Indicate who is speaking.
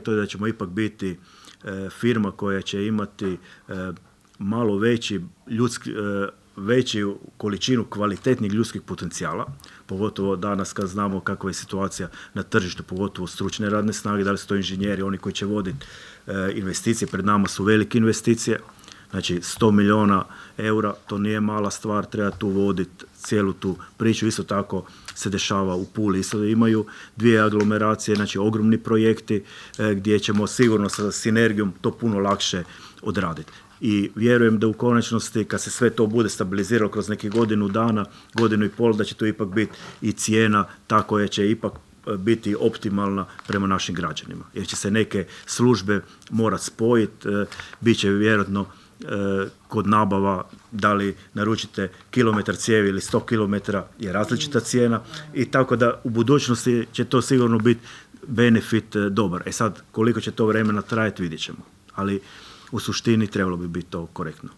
Speaker 1: to je da ćemo ipak biti firma koja će imati malo veću količinu kvalitetnih ljudskih potencijala, pogotovo danas kad znamo kakva je situacija na tržištu, pogotovo stručne radne snage, da li su to inženjeri, oni koji će voditi investicije, pred nama su velike investicije, znači 100 milijuna eura, to nije mala stvar, treba tu voditi cijelu tu priču. Isto tako se dešava u Puli, isto imaju 2 aglomeracije, znači ogromni projekti gdje ćemo sigurno sa sinergijom to puno lakše odraditi. I vjerujem da u konačnosti, kad se sve to bude stabiliziralo kroz nekih godinu dana, godinu i pol, da će to ipak biti i cijena ta koja će ipak biti optimalna prema našim građanima. Jer će se neke službe morati spojiti, bit će vjerojatno kod nabava, da li naručite kilometar cijevi ili 100 kilometara je različita cijena i tako da u budućnosti će to sigurno biti benefit dobar. Sad, koliko će to vremena trajati, vidjet ćemo. Ali u suštini trebalo bi biti to korektno.